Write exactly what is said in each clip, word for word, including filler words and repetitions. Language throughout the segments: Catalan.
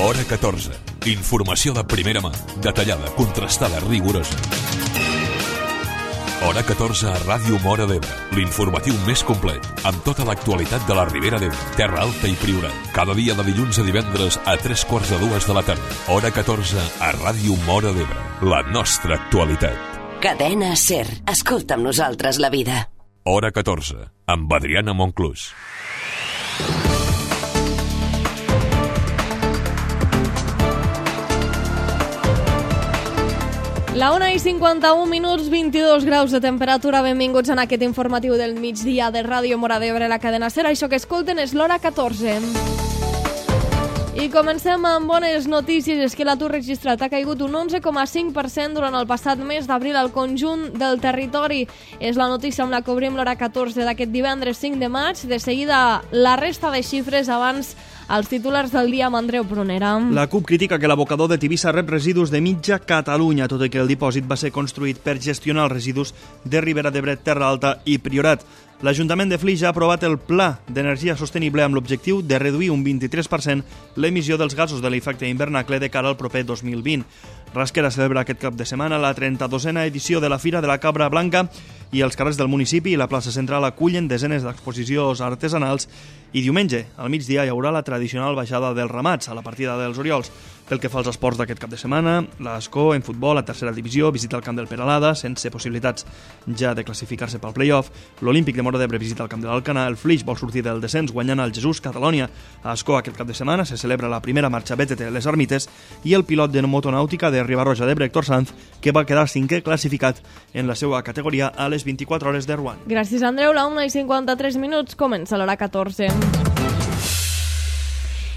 Hora catorze. Informació de primera mà, detallada, contrastada, rigorosa. Hora catorze a Ràdio Móra d'Ebre, l'informatiu més complet, amb tota l'actualitat de la Ribera d'Ebre, Terra Alta i Priorat. Cada dia de dilluns a divendres a tres quarts de dues de la tarda. Hora catorze a Ràdio Móra d'Ebre, la nostra actualitat. Cadena SER. Escolta amb nosaltres la vida. Hora catorze, amb Adriana Monclús. La una i cinquanta-un minuts, vint-i-dos graus de temperatura. Benvinguts en aquest informatiu del migdia de Ràdio Móra d'Ebre, la cadena SER. Això que escolten és l'Hora catorze. I comencem amb bones notícies. És que l'atur registrat ha caigut un onze coma cinc per cent durant el passat mes d'abril al conjunt del territori. És la notícia amb la que obrim l'Hora catorze d'aquest divendres cinc de maig. De seguida, la resta de xifres abans els titulars del dia amb Andreu Prunera. La CUP critica que l'abocador de Tivissa rep residus de mitja Catalunya, tot i que el dipòsit va ser construït per gestionar els residus de Ribera d'Ebre, Terra Alta i Priorat. L'Ajuntament de Flix ha aprovat el Pla d'Energia Sostenible amb l'objectiu de reduir un vint-i-tres per cent l'emissió dels gasos de l'efecte hivernacle de cara al proper dos mil vint. Rasquera celebra aquest cap de setmana la trenta-dosena edició de la Fira de la Cabra Blanca i els carrers del municipi i la plaça central acullen desenes d'exposicions artesanals i diumenge, al migdia, hi haurà la tradicional baixada dels ramats a la partida dels Oriols. Pel que fa als esports d'aquest cap de setmana, l'Escó en futbol a tercera divisió visita el camp del Peralada sense possibilitats ja de classificar-se pel play-off. L'Olímpic de Móra d'Ebre visita el camp de l'Alcanar. El Flix vol sortir del descens guanyant el Jesús Catalònia. A Escó aquest cap de setmana se celebra la primera marxa B T T Les Ermites i el pilot de motonàutica de Ribarroja d'Ebre, Héctor Sanz, que va quedar cinquè classificat en la seva categoria a les vint-i-quatre hores de Rouen. Gràcies, Andreu. La una i cinquanta-tres minuts comença l'Hora catorze.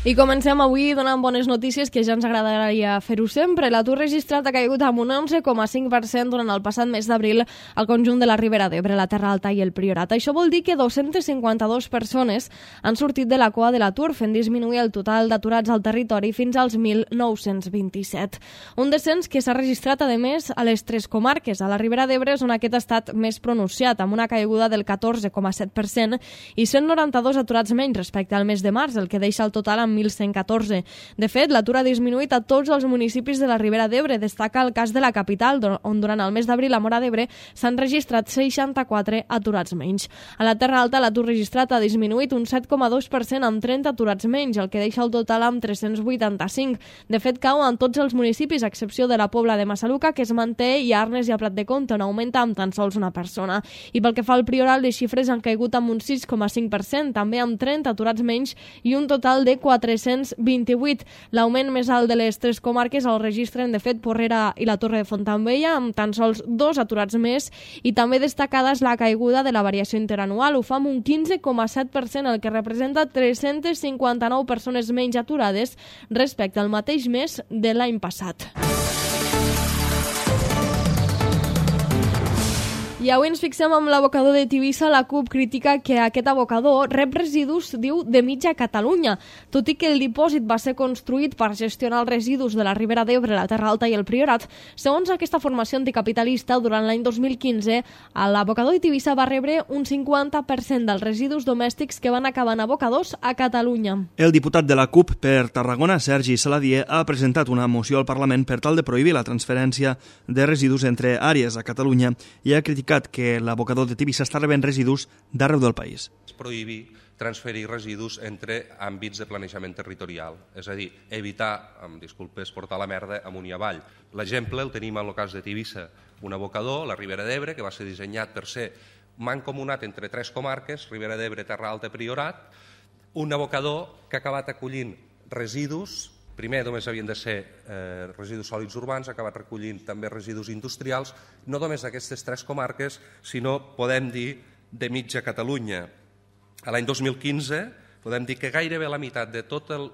I comencem avui donant bones notícies, que ja ens agradaria fer-ho sempre. L'atur registrat ha caigut amb un onze coma cinc per cent durant el passat mes d'abril al conjunt de la Ribera d'Ebre, la Terra Alta i el Priorat. Això vol dir que dos-centes cinquanta-dues persones han sortit de la cua de l'atur, fent disminuir el total d'aturats al territori fins als mil nou-cents vint-i-set. Un descens que s'ha registrat, a més, a les tres comarques. A la Ribera d'Ebre és on aquest ha estat més pronunciat, amb una caiguda del catorze coma set per cent i cent noranta-dos aturats menys respecte al mes de març, el que deixa el total amb mil cent catorze. De fet, l'atur ha disminuït a tots els municipis de la Ribera d'Ebre. Destaca el cas de la capital, on durant el mes d'abril a Móra d'Ebre s'han registrat seixanta-quatre aturats menys. A la Terra Alta l'atur registrat ha disminuït un set coma dos per cent amb trenta aturats menys, el que deixa el total amb tres-cents vuitanta-cinc. De fet, cau en tots els municipis, a excepció de la Pobla de Massaluca, que es manté, i a Arnes i a Prat de Comte, on augmenta amb tan sols una persona. I pel que fa al Priorat, les xifres han caigut amb un sis coma cinc per cent, també amb trenta aturats menys i un total de quatre-cents vint-i-vuit. L'augment més alt de les tres comarques el registren, de fet, Porrera i la Torre de Fontaubella, amb tan sols dos aturats més, i també destacada és la caiguda de la variació interanual. Ho fa amb un quinze coma set per cent, el que representa tres-centes cinquanta-nou persones menys aturades respecte al mateix mes de l'any passat. I avui ens fixem amb l'abocador de Tivissa. La CUP critica que aquest abocador rep residus, diu, de mitja Catalunya. Tot i que el dipòsit va ser construït per gestionar els residus de la Ribera d'Ebre, la Terra Alta i el Priorat, segons aquesta formació anticapitalista, durant l'any dos mil quinze, l'abocador de Tivissa va rebre un cinquanta per cent dels residus domèstics que van acabar en abocadors a Catalunya. El diputat de la CUP per Tarragona, Sergi Saladier, ha presentat una moció al Parlament per tal de prohibir la transferència de residus entre àrees a Catalunya i ha criticat que l'abocador de Tivissa està rebent residus d'arreu del país. És prohibir transferir residus entre àmbits de planejament territorial, és a dir, evitar, amb disculpes, portar la merda amunt i avall. L'exemple el tenim en el cas de Tivissa, un abocador, la Ribera d'Ebre, que va ser dissenyat per ser mancomunat entre tres comarques, Ribera d'Ebre, Terra Alta i Priorat, un abocador que ha acabat acollint residus. Primer només havien de ser eh, residus sòlids urbans, ha acabat recollint també residus industrials, no només d'aquestes tres comarques, sinó, podem dir, de mitja Catalunya. A l'any dos mil quinze podem dir que gairebé la meitat de tots els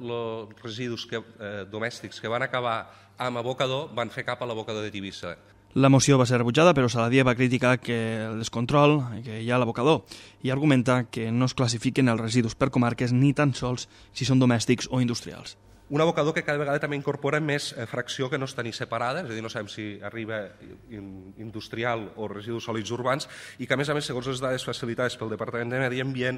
residus que, eh, domèstics que van acabar amb abocador van fer cap a l'abocador de Tivissa. La moció va ser rebutjada, però Saladier va criticar que el descontrol que hi ha a l'abocador i argumenta que no es classifiquen els residus per comarques ni tan sols si són domèstics o industrials. Un abocador que cada vegada també incorpora més fracció que no està ni separada, és a dir, no sabem si arriba industrial o residus sòlids urbans, i que, a més a més, segons les dades facilitades pel Departament de Medi Ambient,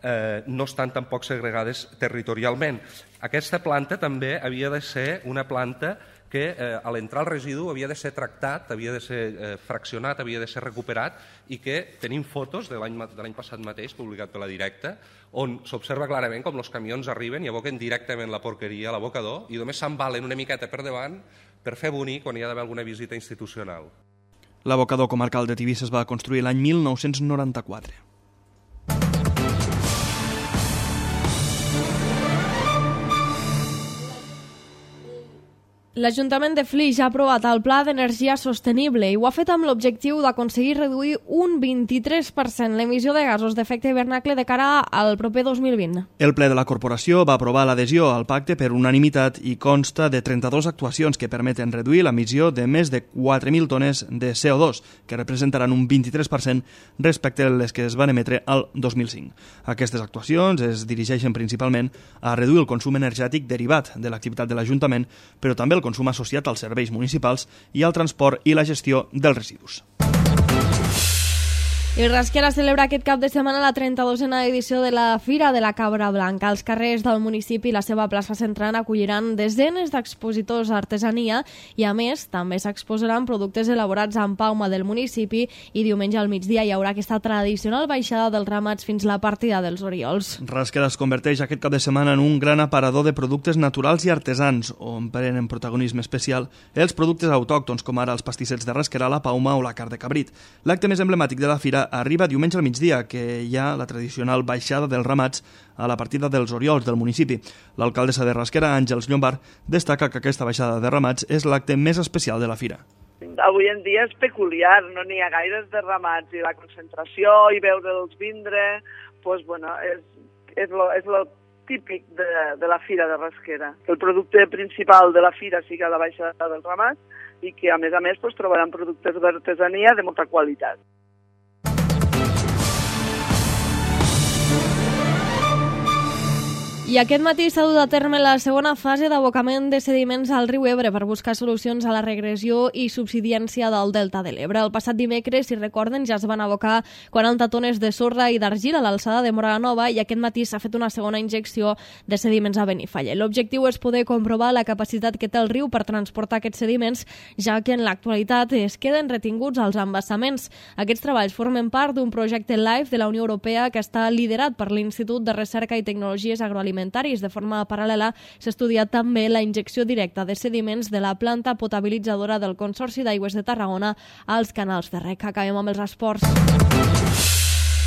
eh, no estan tampoc segregades territorialment. Aquesta planta també havia de ser una planta que eh, a l'entrar el residu havia de ser tractat, havia de ser eh, fraccionat, havia de ser recuperat, i que tenim fotos de l'any passat mateix, publicat per la Directa, on s'observa clarament com els camions arriben i aboquen directament la porqueria a l'abocador i només s'embalen una miqueta per davant per fer bonic quan hi ha d'haver alguna visita institucional. L'abocador comarcal de Tivissa es va construir l'any mil nou-cents noranta-quatre. L'Ajuntament de Flix ha aprovat el Pla d'Energia Sostenible i ho ha fet amb l'objectiu d'aconseguir reduir un vint-i-tres per cent l'emissió de gasos d'efecte hivernacle de cara al proper dos mil vint. El ple de la corporació va aprovar l'adhesió al pacte per unanimitat i consta de trenta-dues actuacions que permeten reduir l'emissió de més de quatre mil tones de C O dos, que representaran un vint-i-tres per cent respecte a les que es van emetre al dos mil cinc. Aquestes actuacions es dirigeixen principalment a reduir el consum energètic derivat de l'activitat de l'Ajuntament, però també el consum associat als serveis municipals i al transport i la gestió dels residus. I Rasquera celebra aquest cap de setmana la trenta-dosena edició de la Fira de la Cabra Blanca. Els carrers del municipi i la seva plaça central acolliran desenes d'expositors d'artesania i, a més, també s'exposaran productes elaborats amb pauma del municipi i diumenge al migdia hi haurà aquesta tradicional baixada dels ramats fins la partida dels Oriols. Rasquera es converteix aquest cap de setmana en un gran aparador de productes naturals i artesans, on prenen protagonisme especial els productes autòctons, com ara els pastissets de Rasquera, la pauma o la carn de cabrit. L'acte més emblemàtic de la fira arriba diumenge al migdia, que hi ha la tradicional baixada dels ramats a la partida dels Oriols del municipi. L'alcaldessa de Rasquera, Àngels Llombard, destaca que aquesta baixada de ramats és l'acte més especial de la fira. Avui en dia és peculiar, no n'hi ha gaires de ramats i la concentració i veure'ls vindre, doncs, bueno, és, és, lo, és lo típic de, de la fira de Rasquera. El producte principal de la fira sigui la baixada dels ramats i que, a més a més, doncs, trobaran productes d'artesania de molta qualitat. I aquest matí s'ha dut a terme la segona fase d'abocament de sediments al riu Ebre per buscar solucions a la regressió i subsidència del Delta de l'Ebre. El passat dimecres, si recorden, ja es van abocar quaranta tones de sorra i d'argila a l'alçada de Móra la Nova i aquest matí s'ha fet una segona injecció de sediments a Benifallet. L'objectiu és poder comprovar la capacitat que té el riu per transportar aquests sediments, ja que en l'actualitat es queden retinguts als embassaments. Aquests treballs formen part d'un projecte LIFE de la Unió Europea que està liderat per l'Institut de Recerca i Tecnologies Agroalimentàries. De forma paral·lela, s'estudia també la injecció directa de sediments de la planta potabilitzadora del Consorci d'Aigües de Tarragona als canals de rec. Acabem amb els esports.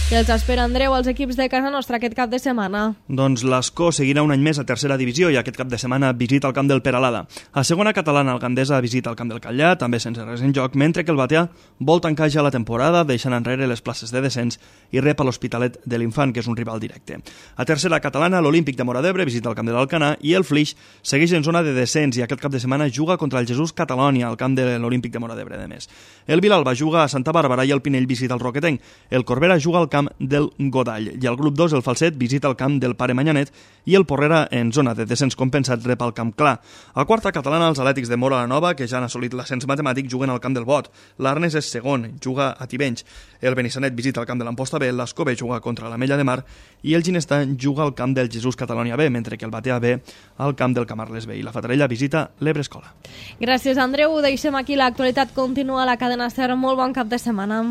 Què els espera, Andreu, als equips de casa nostra aquest cap de setmana? Doncs l'Escó seguirà un any més a tercera divisió i aquest cap de setmana visita el camp del Peralada. A segona catalana, el Gandesa visita el camp del Catllà, també sense res en joc, mentre que el Batea vol tancar ja la temporada, deixant enrere les places de descens i rep a l'Hospitalet de l'Infant, que és un rival directe. A tercera catalana, l'Olímpic de Móra d'Ebre visita el camp de l'Alcanar i el Flix segueix en zona de descens i aquest cap de setmana juga contra el Jesús Catalònia, al camp de l'Olímpic de Móra d'Ebre, de més. El Vilalba juga a Santa Bàrbara i el Pinell visita el Roquetenc. El Corbera juga al camp del Godall i el grup dos, el Falset, visita el camp del Pare Manyanet i el Porrera, en zona de descens compensat, rep el camp Clar. A quarta catalana, els Atlètics de Móra la Nova, que ja han assolit l'ascens matemàtic, juguen al camp del Bot. L'Arnes és segon, juga a Tivenys. El Benissanet visita el camp de l'Amposta B, l'Escó-B juga contra l'Ametlla de Mar i el Ginestar juga al camp del Jesús Catalònia B, mentre que el Batea B al camp del Camarles B i la Fatarella visita l'Ebre Escola. Gràcies, Andreu. Deixem aquí l'actualitat. Continua a la cadena SER. Molt bon cap de setmana.